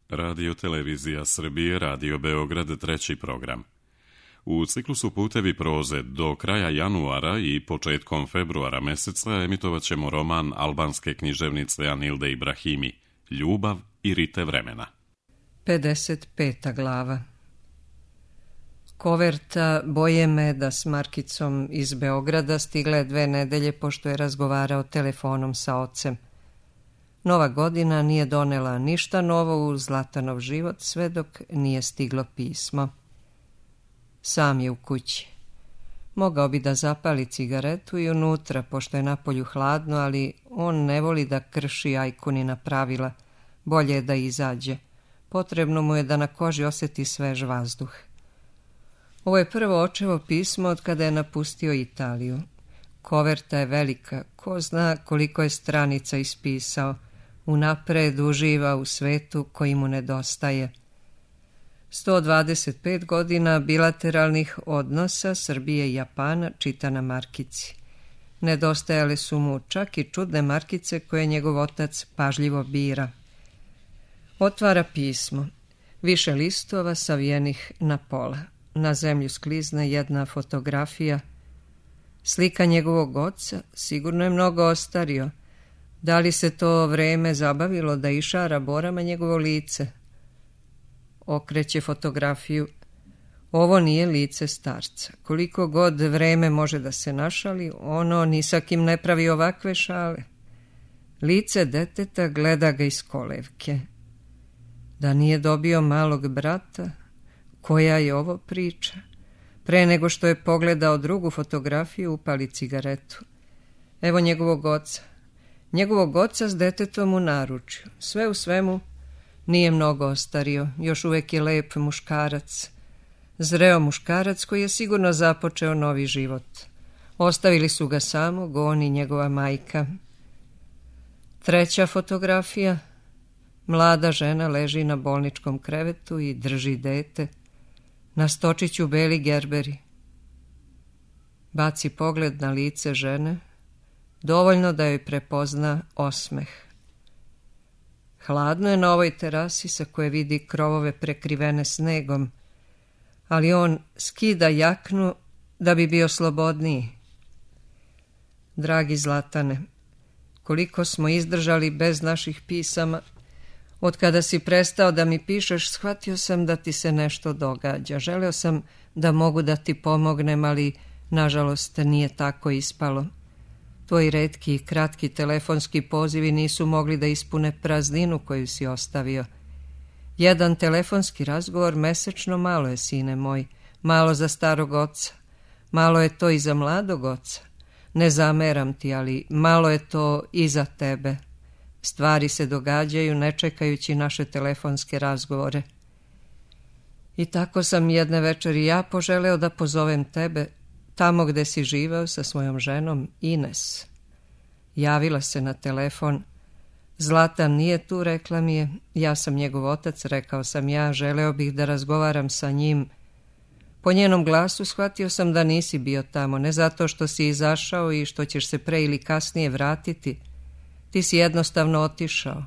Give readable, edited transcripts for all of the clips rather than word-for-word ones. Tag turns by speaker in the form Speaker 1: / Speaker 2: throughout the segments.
Speaker 1: Radio Televizija Srbije, Radio Beograd, treći program. U ciklusu Putevi proze do kraja januara i početkom februara meseca emitovat ćemo roman albanske književnice Anilde Ibrahimi, Ljubav i rite vremena.
Speaker 2: 55. glava. Koverta Boje Meda s markicom iz Beograda stigla je 2 nedelje pošto je razgovarao telefonom sa ocem. Nova godina nije donela ništa novo u Zlatanov život sve dok nije stiglo pismo. Sam je u kući. Mogao bi da zapali cigaretu i unutra, pošto je napolju hladno, ali on ne voli da krši Ajkunina pravila. Bolje je da izađe. Potrebno mu je da na koži osjeti svež vazduh. Ovo je prvo očevo pismo od kada je napustio Italiju. Koverta je velika, ko zna koliko je stranica ispisao. Unapred uživa u svetu koji mu nedostaje. 125 godina bilateralnih odnosa Srbije i Japana čita na markici. Nedostajale su mu čak i čudne markice koje njegov otac pažljivo bira. Otvara pismo. Više listova savijenih na pola. Na zemlju sklizne jedna fotografija. Slika njegovog oca, sigurno je mnogo ostario. Da li se to vreme zabavilo da išara borama njegovo lice? Okreće fotografiju. Ovo nije lice starca. Koliko god vreme može da se našali, ono ni sa kim ne pravi ovakve šale. Lice deteta gleda ga iz kolevke. Da nije dobio malog brata? Koja je ovo priča? Pre nego što je pogledao drugu fotografiju, upali cigaretu. Evo njegovog oca. Njegovog oca s detetom u naručju. Sve u svemu nije mnogo ostario. Još uvijek je lep muškarac. Zreo muškarac koji je sigurno započeo novi život. Ostavili su ga samog, on i njegova majka. Treća fotografija. Mlada žena leži na bolničkom krevetu i drži dete. Na stočiću beli gerberi. Baci pogled na lice žene, dovoljno da joj prepozna osmeh. Hladno je na ovoj terasi sa koje vidi krovove prekrivene snegom, ali on skida jaknu da bi bio slobodniji. Dragi Zlatane, koliko smo izdržali bez naših pisama. Od kada si prestao da mi pišeš, shvatio sam da ti se nešto događa. Želeo sam da mogu da ti pomognem, ali nažalost nije tako ispalo. Tvoji retki i kratki telefonski pozivi nisu mogli da ispune prazninu koju si ostavio. Jedan telefonski razgovor mesečno malo je, sine moj, malo za starog oca. Malo je to i za mladog oca. Ne zameram ti, ali malo je to i za tebe. Stvari se događaju ne čekajući naše telefonske razgovore. I tako sam jedne večeri ja poželeo da pozovem tebe tamo gde si živeo sa svojom ženom Ines. Javila se na telefon. Zlatan nije tu, rekla mi je. Ja sam njegov otac, rekao sam ja, želeo bih da razgovaram sa njim. Po njenom glasu shvatio sam da nisi bio tamo, ne zato što si izašao i što ćeš se pre ili kasnije vratiti. Ti si jednostavno otišao.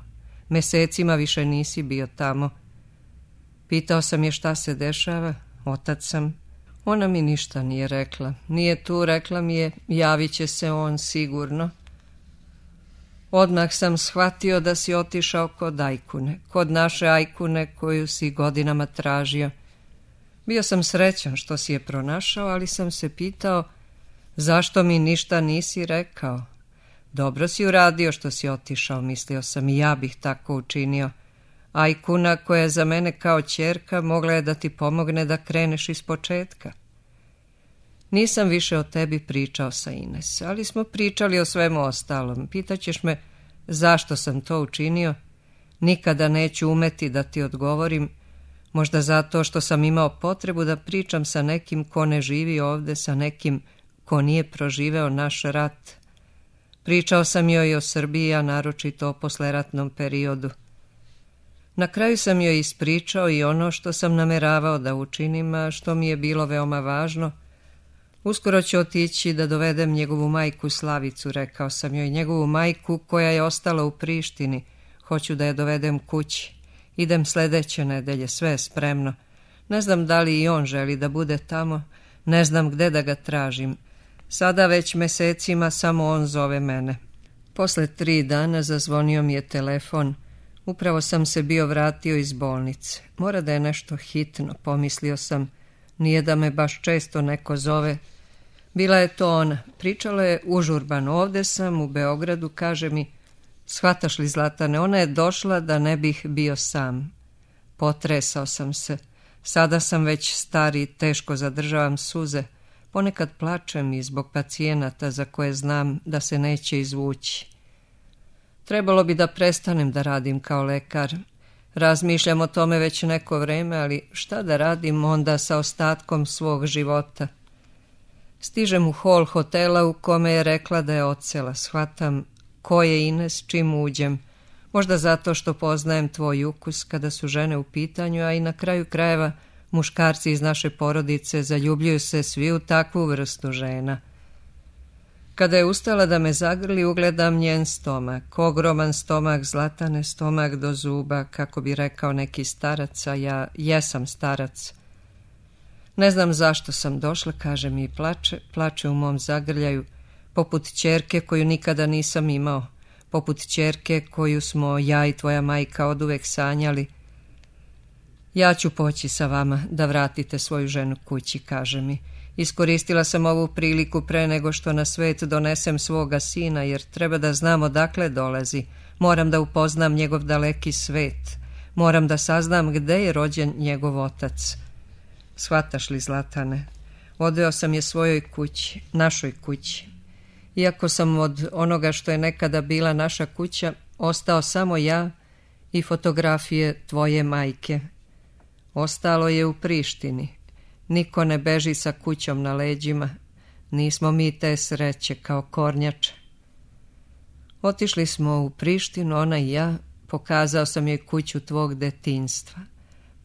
Speaker 2: Mesecima više nisi bio tamo. Pitao sam je šta se dešava. Otac sam. Ona mi ništa nije rekla. Nije tu, rekla mi je, javit će se on sigurno. Odmah sam shvatio da si otišao kod Ajkune. Kod naše Ajkune koju si godinama tražio. Bio sam srećan što si je pronašao, ali sam se pitao zašto mi ništa nisi rekao. Dobro si uradio što si otišao, mislio sam, i ja bih tako učinio. Ajkuna, koja je za mene kao ćerka, mogla je da ti pomogne da kreneš iz početka. Nisam više o tebi pričao sa Ines, ali smo pričali o svemu ostalom. Pitaćeš me zašto sam to učinio? Nikada neću umeti da ti odgovorim, možda zato što sam imao potrebu da pričam sa nekim ko ne živi ovde, sa nekim ko nije proživeo naš rat. Pričao sam joj o Srbiji, a naročito o posleratnom periodu. Na kraju sam joj ispričao i ono što sam nameravao da učinim, a što mi je bilo veoma važno. Uskoro ću otići da dovedem njegovu majku Slavicu, rekao sam joj, njegovu majku koja je ostala u Prištini. Hoću da je dovedem kući Idem sledeće nedelje, sve je spremno. Ne znam da li i on želi da bude tamo, ne znam gde da ga tražim. Sada već mesecima samo on zove mene. Posle 3 dana zazvonio mi je telefon. Upravo sam se bio vratio iz bolnice. Mora da je nešto hitno, pomislio sam. Nije da me baš često neko zove. Bila je to ona. Pričala je užurbano. Ovde sam u Beogradu, kaže mi, shvataš li, Zlatane, ona je došla da ne bih bio sam. Potresao sam se. Sada sam već stari, teško zadržavam suze. Ponekad plačem i zbog pacijenata za koje znam da se neće izvući. Trebalo bi da prestanem da radim kao lekar. Razmišljam o tome već neko vreme, ali šta da radim onda sa ostatkom svog života? Stižem u hol hotela u kome je rekla da je odsela. Shvatam ko je Ines čim uđem. Možda zato što poznajem tvoj ukus kada su žene u pitanju, a i na kraju krajeva muškarci iz naše porodice zaljubljuju se svi u takvu vrstu žena. Kada je ustala da me zagrli, ugledam njen stomak. Ogroman stomak, Zlatane, stomak do zuba, kako bi rekao neki starac, a ja jesam starac. Ne znam zašto sam došla, kaže mi i plače u mom zagrljaju, poput ćerke koju nikada nisam imao, poput ćerke koju smo ja i tvoja majka oduvek sanjali. Ja ću poći sa vama da vratite svoju ženu kući, kaže mi. Iskoristila sam ovu priliku pre nego što na svet donesem svoga sina, jer treba da znam odakle dolazi. Moram da upoznam njegov daleki svet. Moram da saznam gde je rođen njegov otac. Shvataš li, Zlatane? Odveo sam je svojoj kući, našoj kući. Iako sam od onoga što je nekada bila naša kuća, ostao samo ja i fotografije tvoje majke. Ostalo je u Prištini. Niko ne beži sa kućom na leđima. Nismo mi te sreće kao kornjače. Otišli smo u Prištinu, ona i ja. Pokazao sam joj kuću tvog detinjstva.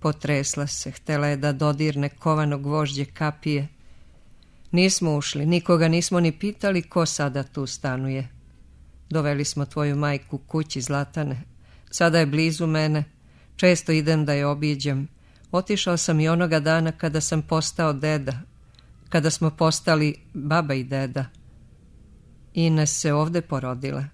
Speaker 2: Potresla se, htela je da dodirne kovano gvožđe kapije. Nismo ušli, nikoga nismo ni pitali ko sada tu stanuje. Doveli smo tvoju majku kući, Zlatane. Sada je blizu mene. Često idem da je obiđem. Otišao sam i onoga dana kada sam postao deda, kada smo postali baba i deda. Ines se ovde porodila.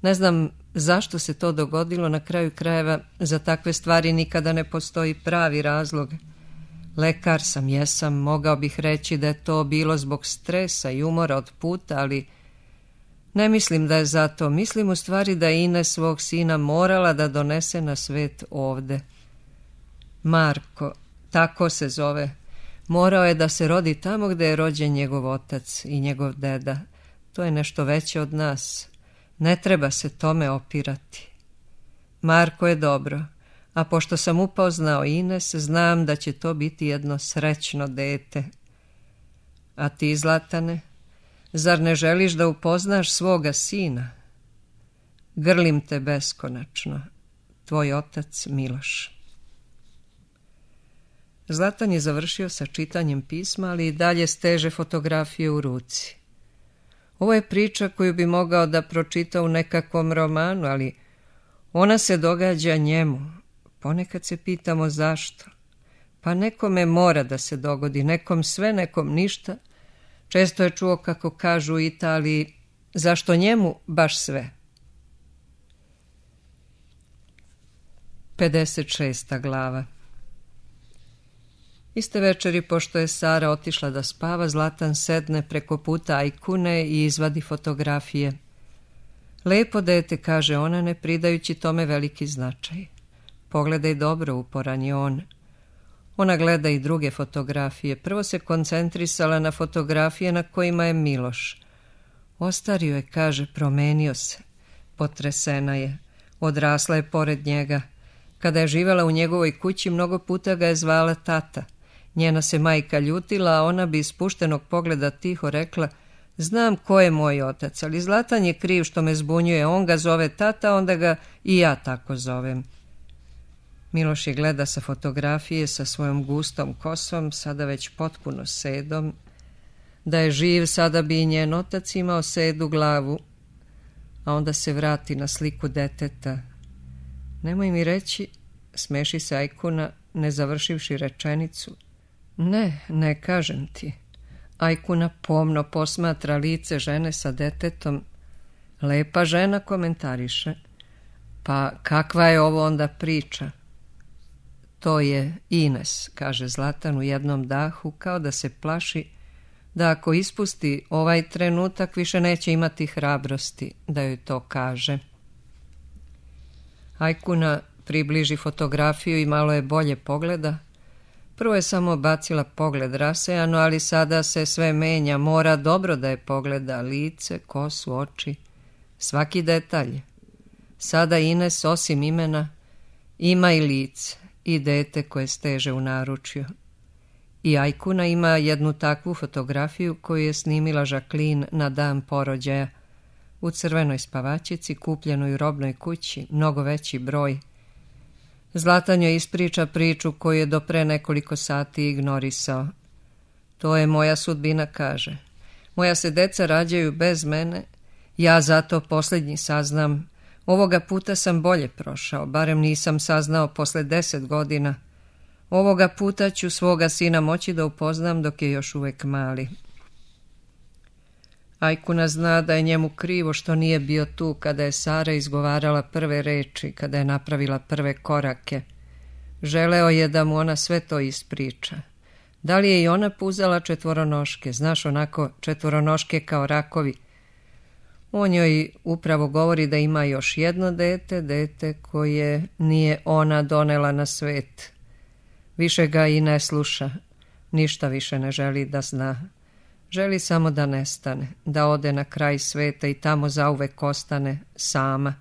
Speaker 2: Ne znam zašto se to dogodilo, na kraju krajeva za takve stvari nikada ne postoji pravi razlog. Lekar sam, jesam, mogao bih reći da je to bilo zbog stresa i umora od puta, ali ne mislim da je zato. Mislim u stvari da je Ines svog sina morala da donese na svet ovde. Marko, tako se zove, morao je da se rodi tamo gde je rođen njegov otac i njegov deda. To je nešto veće od nas. Ne treba se tome opirati. Marko je dobro, a pošto sam upoznao Ines, znam da će to biti jedno srećno dete. A ti, Zlatane, zar ne želiš da upoznaš svoga sina? Grlim te beskonačno, tvoj otac Miloš. Zlatan je završio sa čitanjem pisma, ali i dalje steže fotografije u ruci. Ovo je priča koju bi mogao da pročita u nekakvom romanu, ali ona se događa njemu. Ponekad se pitamo zašto. Pa nekome mora da se dogodi, nekom sve, nekom ništa. Često je čuo kako kažu u Italiji, zašto njemu baš sve. 56. glava. Iste večeri, pošto je Sara otišla da spava, Zlatan sedne preko puta ajkune i izvadi fotografije. Lepo dete, kaže ona, ne pridajući tome veliki značaj. Pogledaj dobro, uporan je on. Ona gleda i druge fotografije. Prvo se koncentrisala na fotografije na kojima je Miloš. Ostario je, kaže, promenio se. Potresena je. Odrasla je pored njega. Kada je živela u njegovoj kući, mnogo puta ga je zvala tata. Njena se majka ljutila, a ona bi iz spuštenog pogleda tiho rekla, znam ko je moj otac, ali Zlatan je kriv što me zbunjuje, on ga zove tata, onda ga i ja tako zovem. Miloš je gleda sa fotografije sa svojom gustom kosom, sada već potpuno sedom. Da je živ, sada bi i njen otac imao sedu glavu, a onda se vrati na sliku deteta. Nemoj mi reći, smeši se Ajkuna, ne završivši rečenicu. Ne kažem ti. Ajkuna pomno posmatra lice žene sa detetom. Lepa žena, komentariše. Pa kakva je ovo onda priča? To je Ines, kaže Zlatan u jednom dahu, kao da se plaši da ako ispusti ovaj trenutak više neće imati hrabrosti da joj to kaže. Ajkuna približi fotografiju i malo je bolje pogleda. Prvo je samo bacila pogled rasejano, ali sada se sve menja, mora dobro da je pogleda, lice, kosu, oči, svaki detalj. Sada Ines, osim imena, ima i lice i dete koje steže u naručju. I Ajkuna ima jednu takvu fotografiju koju je snimila Jacqueline na dan porođaja, u crvenoj spavačici, kupljenoj u robnoj kući, mnogo veći broj. Zlatan joj ispriča priču koju je do pre nekoliko sati ignorisao. To je moja sudbina, kaže. Moja se deca rađaju bez mene, ja zato posljednji saznam. Ovoga puta sam bolje prošao, barem nisam saznao posle 10 godina. Ovoga puta ću svoga sina moći da upoznam dok je još uvek mali. Ajkuna zna da je njemu krivo što nije bio tu kada je Sara izgovarala prve reči, kada je napravila prve korake. Želeo je da mu ona sve to ispriča. Da li je i ona puzala četvoronoške, znaš, onako četvoronoške kao rakovi? On joj upravo govori da ima još jedno dete koje nije ona donela na svet. Više ga i ne sluša, ništa više ne želi da zna. Želi samo da nestane, da ode na kraj sveta i tamo zauvek ostane sama.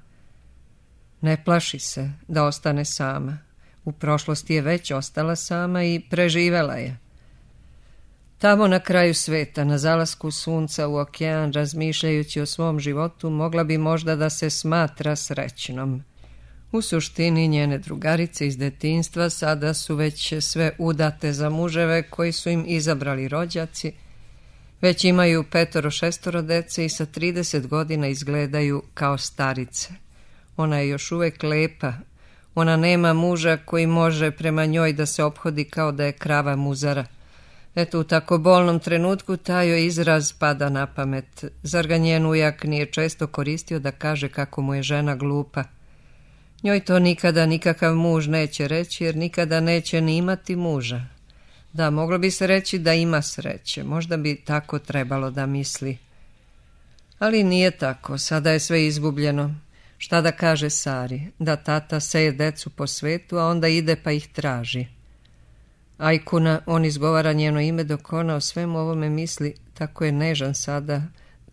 Speaker 2: Ne plaši se da ostane sama. U prošlosti je već ostala sama i preživela je. Tamo na kraju sveta, na zalasku sunca u okean, razmišljajući o svom životu, mogla bi možda da se smatra srećnom. U suštini njene drugarice iz detinjstva sada su već sve udate za muževe koji su im izabrali rođaci, već imaju 5-6 dece i sa 30 godina izgledaju kao starice. Ona je još uvek lepa, ona nema muža koji može prema njoj da se ophodi kao da je krava muzara. Eto, u tako bolnom trenutku taj joj izraz pada na pamet. Zar ga njen ujak nije često koristio da kaže kako mu je žena glupa? Njoj to nikada nikakav muž neće reći, jer nikada neće ni imati muža. Da, moglo bi se reći da ima sreće, možda bi tako trebalo da misli. Ali nije tako, sada je sve izgubljeno. Šta da kaže Sari? Da tata seje decu po svetu, a onda ide pa ih traži. Ajkuna, on izgovara njeno ime dok ona o svemu ovome misli, tako je nežan sada,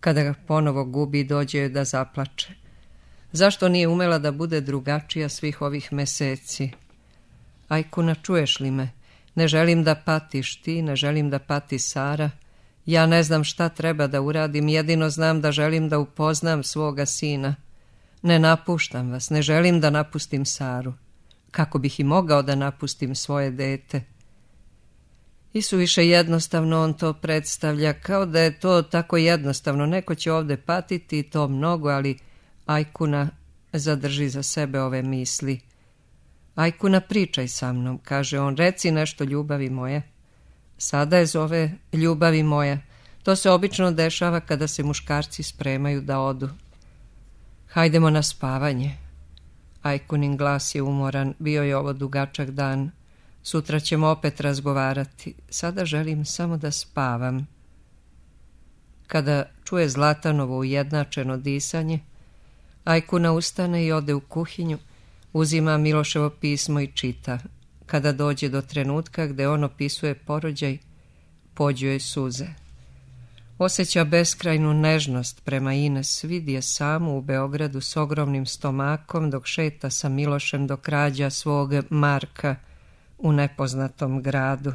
Speaker 2: kada ga ponovo gubi i dođe da zaplače. Zašto nije umela da bude drugačija svih ovih meseci? Ajkuna, čuješ li me? Ne želim da patiš ti, ne želim da pati Sara. Ja ne znam šta treba da uradim, jedino znam da želim da upoznam svoga sina. Ne napuštam vas, ne želim da napustim Saru. Kako bih i mogao da napustim svoje dete? I suviše jednostavno on to predstavlja, kao da je to tako jednostavno. Neko će ovde patiti i to mnogo, ali Ajkuna zadrži za sebe ove misli. Ajkuna, pričaj sa mnom, kaže on, reci nešto, ljubavi moja. Sada je zove ljubavi moja. To se obično dešava kada se muškarci spremaju da odu. Hajdemo na spavanje. Ajkunin glas je umoran, bio je ovo dugačak dan. Sutra ćemo opet razgovarati. Sada želim samo da spavam. Kada čuje Zlatanovo ujednačeno disanje, Ajkuna ustane i ode u kuhinju, uzima Miloševo pismo i čita. Kada dođe do trenutka gde on opisuje porođaj, pođu joj suze. Osjeća beskrajnu nežnost prema Ines, vidi je samu u Beogradu s ogromnim stomakom dok šeta sa Milošem dok rađa svog Marka u nepoznatom gradu.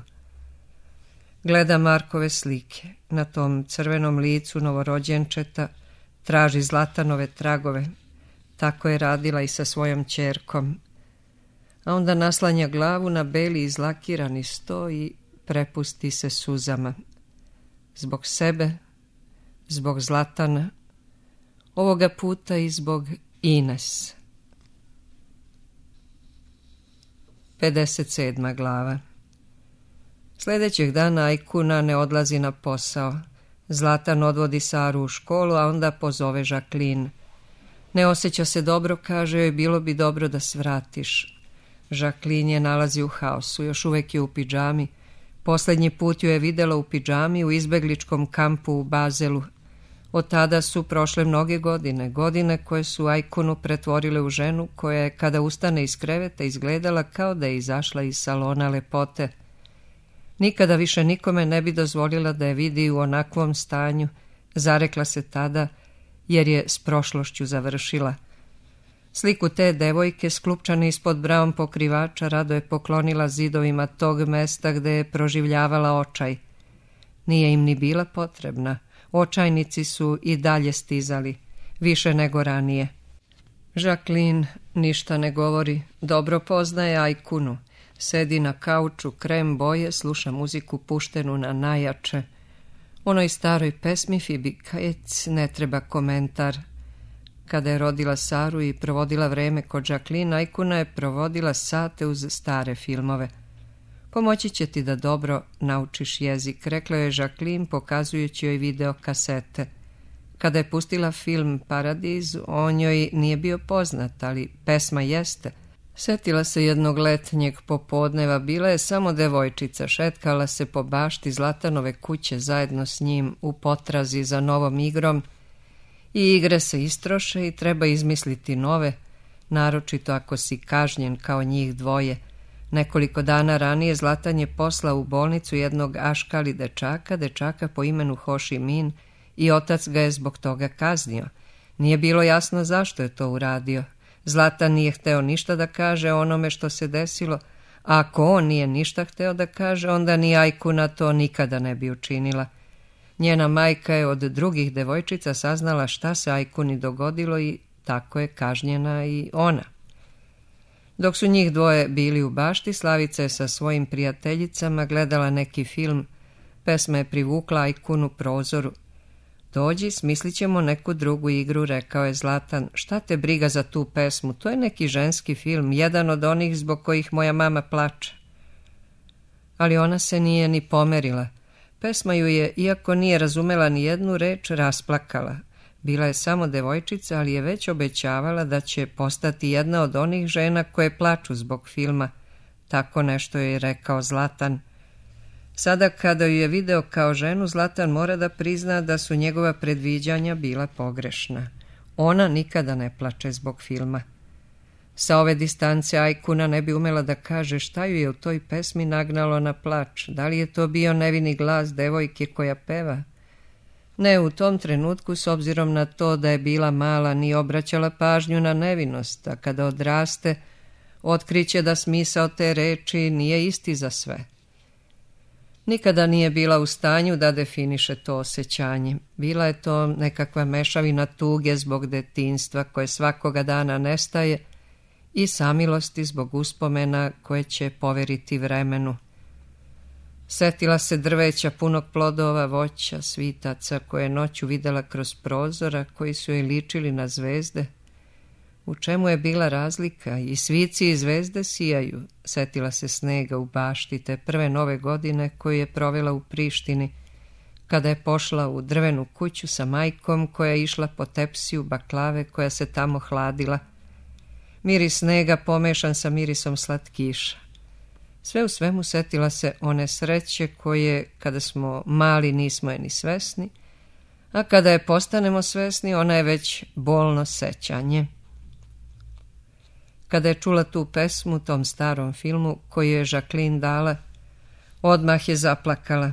Speaker 2: Gleda Markove slike. Na tom crvenom licu novorođenčeta traži Zlatanove tragove. Tako je radila i sa svojom ćerkom. A onda naslanja glavu na beli izlakirani sto i prepusti se suzama. Zbog sebe, zbog Zlatana, ovoga puta i zbog Ines. 57. glava. Sljedećeg dana Ajkuna ne odlazi na posao. Zlatan odvodi Saru u školu, a onda pozove Žaklin. Ne osjeća se dobro, kaže joj, bilo bi dobro da svratiš. Žaklin je nalazi u haosu, još uvek je u pidžami. Posljednji put ju je videla u pidžami u izbegličkom kampu u Bazelu. Od tada su prošle mnoge godine, godine koje su Ajkunu pretvorile u ženu koja je, kada ustane iz kreveta, izgledala kao da je izašla iz salona lepote. Nikada više nikome ne bi dozvolila da je vidi u onakvom stanju, zarekla se tada, jer je s prošlošću završila. Sliku te devojke, sklupčane ispod braun pokrivača, rado je poklonila zidovima tog mesta gde je proživljavala očaj. Nije im ni bila potrebna. Očajnici su i dalje stizali, više nego ranije. Žaklin ništa ne govori, dobro poznaje Ajkunu. Sedi na kauču, krem boje, sluša muziku puštenu na najjače. Onoj staroj pesmi Fibi Kajec ne treba komentar. Kada je rodila Saru i provodila vreme kod Žaklin, Ajkuna je provodila sate uz stare filmove. Pomoći će ti da dobro naučiš jezik, rekla je Žaklin pokazujući joj video kasete. Kada je pustila film Paradiz, on joj nije bio poznat, ali pesma jeste. Setila se jednog letnjeg popodneva, bila je samo devojčica, šetkala se po bašti Zlatanove kuće zajedno s njim u potrazi za novom igrom i igre se istroše i treba izmisliti nove, naročito ako si kažnjen kao njih dvoje. Nekoliko dana ranije Zlatan je poslao u bolnicu jednog aškali dečaka po imenu Ho Chi Minh i otac ga je zbog toga kaznio. Nije bilo jasno zašto je to uradio. Zlatan nije hteo ništa da kaže o onome što se desilo, a ako on nije ništa hteo da kaže, onda ni Ajkuna to nikada ne bi učinila. Njena majka je od drugih devojčica saznala šta se Ajkuni dogodilo i tako je kažnjena i ona. Dok su njih dvoje bili u bašti, Slavica je sa svojim prijateljicama gledala neki film. Pesma je privukla Ajkunu prozoru. Dođi, smislit ćemo neku drugu igru, rekao je Zlatan. Šta te briga za tu pesmu? To je neki ženski film, jedan od onih zbog kojih moja mama plače. Ali ona se nije ni pomerila. Pesma ju je, iako nije razumela ni jednu reč, rasplakala. Bila je samo devojčica, ali je već obećavala da će postati jedna od onih žena koje plaču zbog filma. Tako nešto je rekao Zlatan. Sada kada ju je video kao ženu, Zlatan mora da prizna da su njegova predviđanja bila pogrešna. Ona nikada ne plače zbog filma. Sa ove distance Ajkuna ne bi umela da kaže šta ju je u toj pesmi nagnalo na plač. Da li je to bio nevini glas devojke koja peva? Ne, u tom trenutku, s obzirom na to da je bila mala, nije obraćala pažnju na nevinost, a kada odraste, otkriće da smisao te reči nije isti za sve. Nikada nije bila u stanju da definiše to osjećanje. Bila je to nekakva mešavina tuge zbog detinjstva koje svakoga dana nestaje i samilosti zbog uspomena koje će poveriti vremenu. Setila se drveća punog plodova, voća, svitaca koje je noću videla kroz prozora koji su joj ličili na zvezde. U čemu je bila razlika? I svici i zvezde sijaju. Setila se snega u bašti te prve nove godine koju je provela u Prištini, kada je pošla u drvenu kuću sa majkom koja je išla po tepsiju baklave koja se tamo hladila. Miris snega pomešan sa mirisom slatkiša. Sve u svemu setila se one sreće koje, kada smo mali, nismo je ni svesni, a kada je postanemo svesni, ona je već bolno sećanje. Kada je čula tu pesmu u tom starom filmu koju je Žaklin dala, odmah je zaplakala.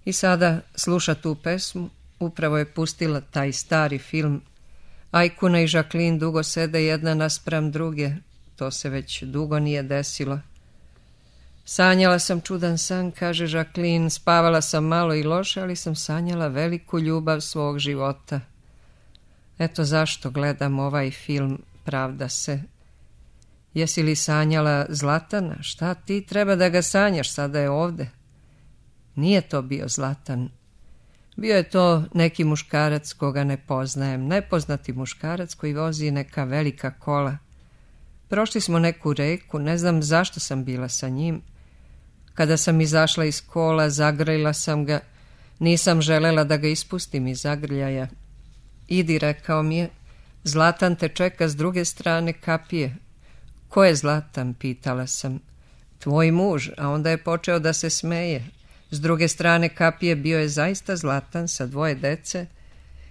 Speaker 2: I sada sluša tu pesmu, upravo je pustila taj stari film. Ajkuna i Žaklin dugo sede jedna naspram druge, to se već dugo nije desilo. Sanjala sam čudan san, kaže Žaklin, spavala sam malo i loše, ali sam sanjala veliku ljubav svog života. Eto zašto gledam ovaj film, pravda se. Jesi li sanjala Zlatana? Šta ti treba da ga sanjaš, sada je ovde. Nije to bio Zlatan. Bio je to neki muškarac koga ne poznajem, nepoznati muškarac koji vozi neka velika kola. Prošli smo neku reku, ne znam zašto sam bila sa njim. Kada sam izašla iz kola, zagrlila sam ga, nisam želela da ga ispustim iz zagrljaja. Idi, rekao mi je, Zlatan te čeka s druge strane kapije. Ko je Zlatan, pitala sam. Tvoj muž, a onda je počeo da se smeje. S druge strane kapije bio je zaista Zlatan sa 2 dece.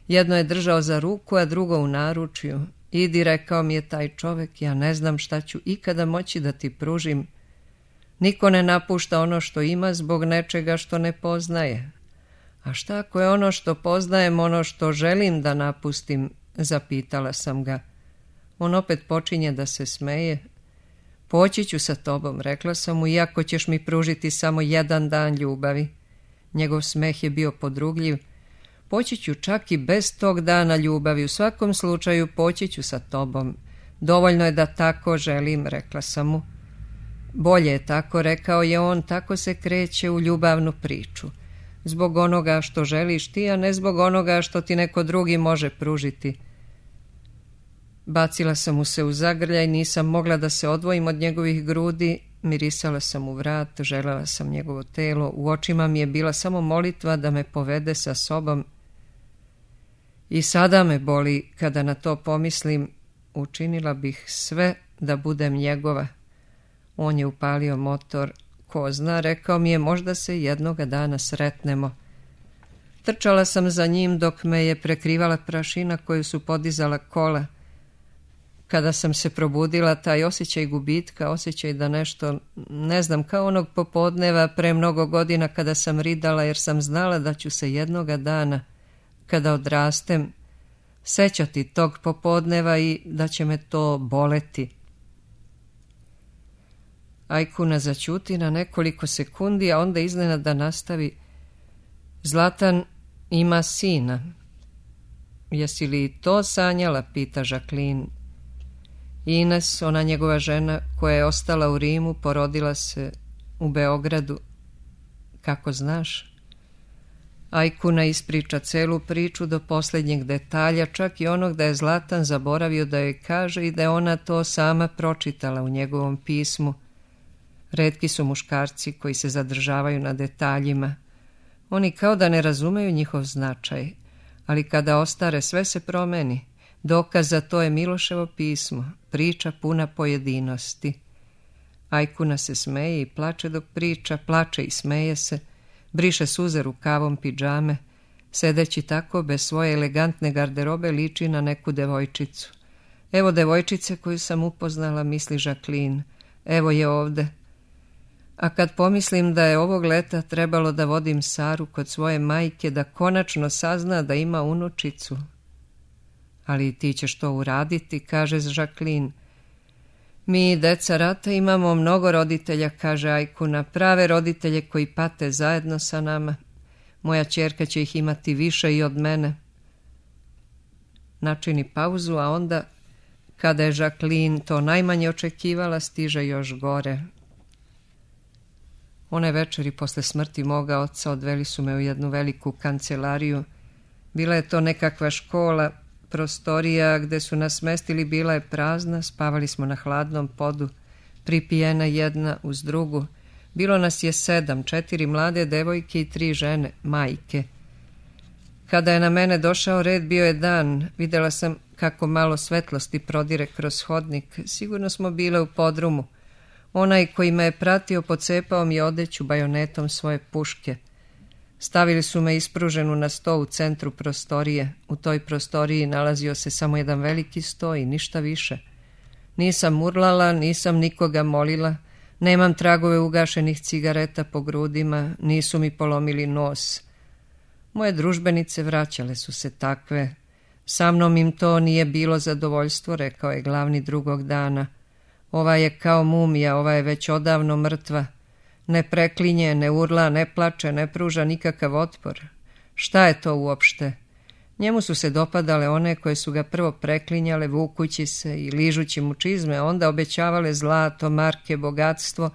Speaker 2: Jedno je držao za ruku, a drugo u naručju. Idi, rekao mi je taj čovek, ja ne znam šta ću ikada moći da ti pružim. Niko ne napušta ono što ima zbog nečega što ne poznaje. A šta ako je ono što poznajem, ono što želim da napustim, zapitala sam ga. On opet počinje da se smeje. Poći ću sa tobom, rekla sam mu, iako ćeš mi pružiti samo 1 dan ljubavi. Njegov smeh je bio podrugljiv. Poći ću čak i bez tog dana ljubavi, u svakom slučaju poći ću sa tobom. Dovoljno je da tako želim, rekla sam mu. Bolje je tako, rekao je on, tako se kreće u ljubavnu priču. Zbog onoga što želiš ti, a ne zbog onoga što ti neko drugi može pružiti. Bacila sam mu se u zagrljaj, nisam mogla da se odvojim od njegovih grudi, mirisala sam u vrat, želela sam njegovo telo, u očima mi je bila samo molitva da me povede sa sobom. I sada me boli kada na to pomislim, učinila bih sve da budem njegova. On je upalio motor. Ko zna, rekao mi je, možda se jednoga dana sretnemo. Trčala sam za njim dok me je prekrivala prašina koju su podizala kola. Kada sam se probudila, taj osjećaj gubitka, osjećaj da nešto, ne znam, kao onog popodneva pre mnogo godina kada sam ridala jer sam znala da ću se jednoga dana, kada odrastem, sećati tog popodneva i da će me to boleti. Ajkuna zaćuti na nekoliko sekundi, a onda iznenada nastavi. Zlatan ima sina. Jesi li to sanjala, pita Žaklin. Ines, ona njegova žena koja je ostala u Rimu, porodila se u Beogradu. Kako znaš? Ajkuna ispriča celu priču do posljednjeg detalja, čak i onog da je Zlatan zaboravio da joj kaže i da je ona to sama pročitala u njegovom pismu. Retki su muškarci koji se zadržavaju na detaljima. Oni kao da ne razumeju njihov značaj, ali kada ostare sve se promeni. Dokaz za to je Miloševo pismo, priča puna pojedinosti. Ajkuna se smeje i plače dok priča, plače i smeje se, briše suze rukavom pidžame, sedeći tako bez svoje elegantne garderobe liči na neku devojčicu. Evo devojčice koju sam upoznala, misli Žaklin, evo je ovde. A kad pomislim da je ovog leta trebalo da vodim Saru kod svoje majke, da konačno sazna da ima unučicu. Ali ti ćeš to uraditi, kaže Žaklin. Mi, deca rata, imamo mnogo roditelja, kaže Ajkuna, prave roditelje koji pate zajedno sa nama. Moja ćerka će ih imati više i od mene. Načini pauzu, a onda, kada je Žaklin to najmanje očekivala, stiže još gore. One večeri posle smrti moga oca odveli su me u jednu veliku kancelariju. Bila je to nekakva škola, prostorija gde su nas smestili bila je prazna, spavali smo na hladnom podu, pripijena jedna uz drugu. Bilo nas je 7, 4 mlade devojke i 3 žene, majke. Kada je na mene došao red, bio je dan. Videla sam kako malo svetlosti prodire kroz hodnik. Sigurno smo bile u podrumu. Onaj koji me je pratio pocepao mi odeću bajonetom svoje puške. Stavili su me ispruženu na sto u centru prostorije. U toj prostoriji nalazio se samo jedan veliki sto i ništa više. Nisam urlala, nisam nikoga molila, nemam tragove ugašenih cigareta po grudima, nisu mi polomili nos. Moje družbenice vraćale su se takve. Sa mnom im to nije bilo zadovoljstvo, rekao je glavni drugog dana. Ova je kao mumija, ova je već odavno mrtva. Ne preklinje, ne urla, ne plače, ne pruža nikakav otpor. Šta je to uopšte? Njemu su se dopadale one koje su ga prvo preklinjale vukući se i ližući mu čizme, onda obećavale zlato, marke, bogatstvo,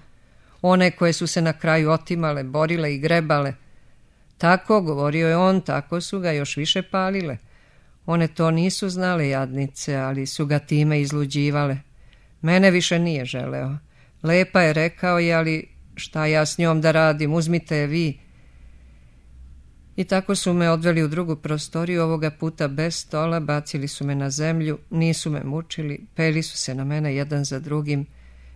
Speaker 2: one koje su se na kraju otimale, borile i grebale. Tako, govorio je on, tako su ga još više palile. One to nisu znale, jadnice, ali su ga time izluđivale. Mene više nije želeo. Lepa je, rekao je, ali šta ja s njom da radim, uzmite je vi. I tako su me odveli u drugu prostoriju, ovoga puta bez stola, bacili su me na zemlju, nisu me mučili, peli su se na mene jedan za drugim.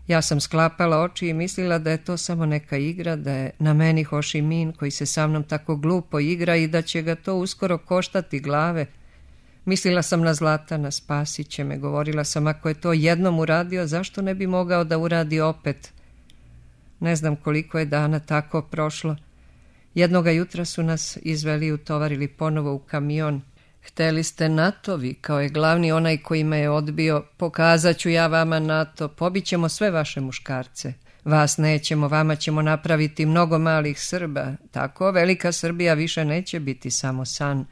Speaker 2: Ja sam sklapala oči i mislila da je to samo neka igra, da je na meni Ho Chi Minh koji se sa mnom tako glupo igra i da će ga to uskoro koštati glave. Mislila sam na Zlatana, spasit će me, govorila sam ako je to jednom uradio, zašto ne bi mogao da uradi opet? Ne znam koliko je dana tako prošlo. Jednoga jutra su nas izveli i utovarili ponovo u kamion. Hteli ste NATO, vikao je glavni onaj koji me je odbio. Pokazat ću ja vama NATO, pobićemo sve vaše muškarce. Vas nećemo, vama ćemo napraviti mnogo malih Srba. Tako velika Srbija više neće biti samo san.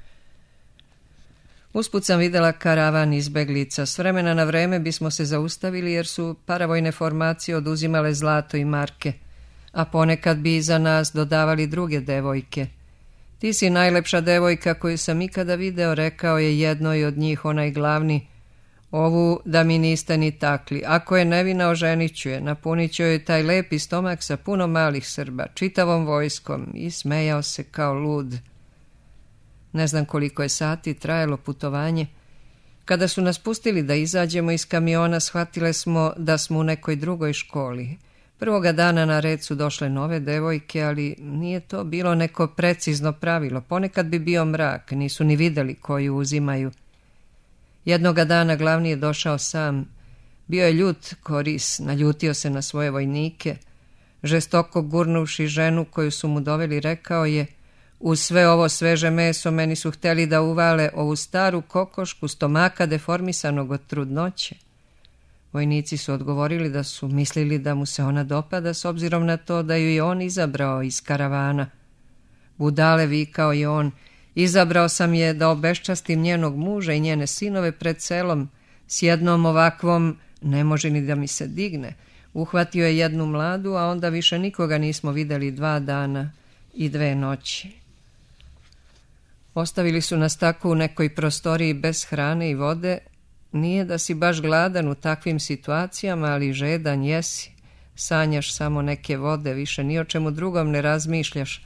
Speaker 2: Usput sam videla karavan izbeglica. S vremena na vreme bismo se zaustavili jer su paravojne formacije oduzimale zlato i marke, a ponekad bi iza nas dodavali druge devojke. Ti si najlepša devojka koju sam ikada video, rekao je jednoj od njih onaj glavni. Ovu da mi niste ni takli. Ako je nevina, oženit ću je. Napunit ću joj taj lepi stomak sa puno malih Srba, čitavom vojskom, i smejao se kao lud. Ne znam koliko je sati trajalo putovanje. Kada su nas pustili da izađemo iz kamiona, shvatile smo da smo u nekoj drugoj školi. Prvoga dana na red su došle nove devojke, ali nije to bilo neko precizno pravilo. Ponekad bi bio mrak, nisu ni videli koju uzimaju. Jednoga dana glavni je došao sam. Bio je ljut ko ris, naljutio se na svoje vojnike. Žestoko gurnuvši ženu koju su mu doveli, rekao je: uz sve ovo sveže meso meni su hteli da uvale ovu staru kokošku stomaka deformisanog od trudnoće. Vojnici su odgovorili da su mislili da mu se ona dopada s obzirom na to da ju je on izabrao iz karavana. Budale, vikao je on, izabrao sam je da obeščastim njenog muža i njene sinove pred selom. S jednom ovakvom ne može ni da mi se digne. Uhvatio je jednu mladu, a onda više nikoga nismo videli 2 dana i 2 noći. Ostavili su nas tako u nekoj prostoriji bez hrane i vode. Nije da si baš gladan u takvim situacijama, ali žedan jesi. Sanjaš samo neke vode, više ni o čemu drugom ne razmišljaš.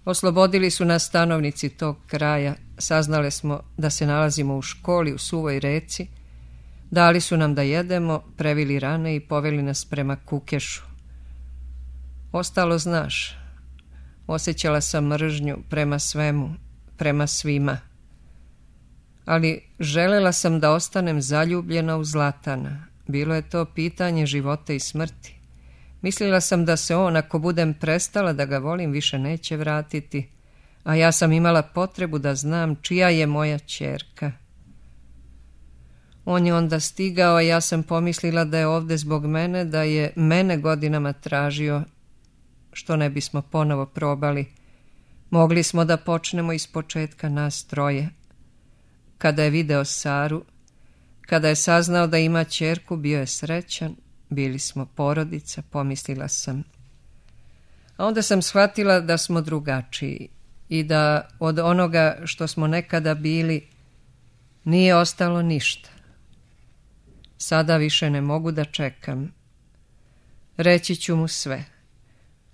Speaker 2: Oslobodili su nas stanovnici tog kraja. Saznale smo da se nalazimo u školi u suvoj reci. Dali su nam da jedemo, previli rane i poveli nas prema Kukešu. Ostalo znaš. Osjećala sam mržnju prema svemu, prema svima. Ali želela sam da ostanem zaljubljena u Zlatana. Bilo je to pitanje života i smrti. Mislila sam da se on, ako budem prestala da ga volim, više neće vratiti, a ja sam imala potrebu da znam čija je moja ćerka. On je onda stigao, a ja sam pomislila da je ovde zbog mene, da je mene godinama tražio, što ne bismo ponovo probali. Mogli smo da počnemo iz početka nas troje. Kada je video Saru, kada je saznao da ima ćerku, bio je srećan, bili smo porodica, pomislila sam. A onda sam shvatila da smo drugačiji i da od onoga što smo nekada bili nije ostalo ništa. Sada više ne mogu da čekam. Reći ću mu sve.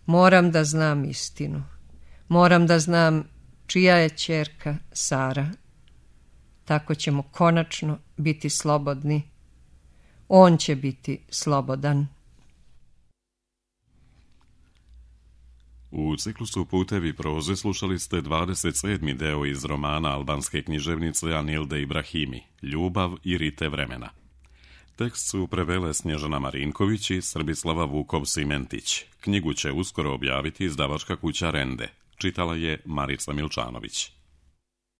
Speaker 2: Moram da znam istinu. Moram da znam čija je ćerka Sara. Tako ćemo konačno biti slobodni. On će biti slobodan.
Speaker 1: U ciklusu Putevi proze slušali ste 27. deo iz romana albanske književnice Anilde Ibrahimi, Ljubav i rite vremena. Tekst su prevele Snježana Marinković i Srbislava Vukov-Simentić. Knjigu će uskoro objaviti izdavačka kuća Rende. Čitala je Marica Milčanović.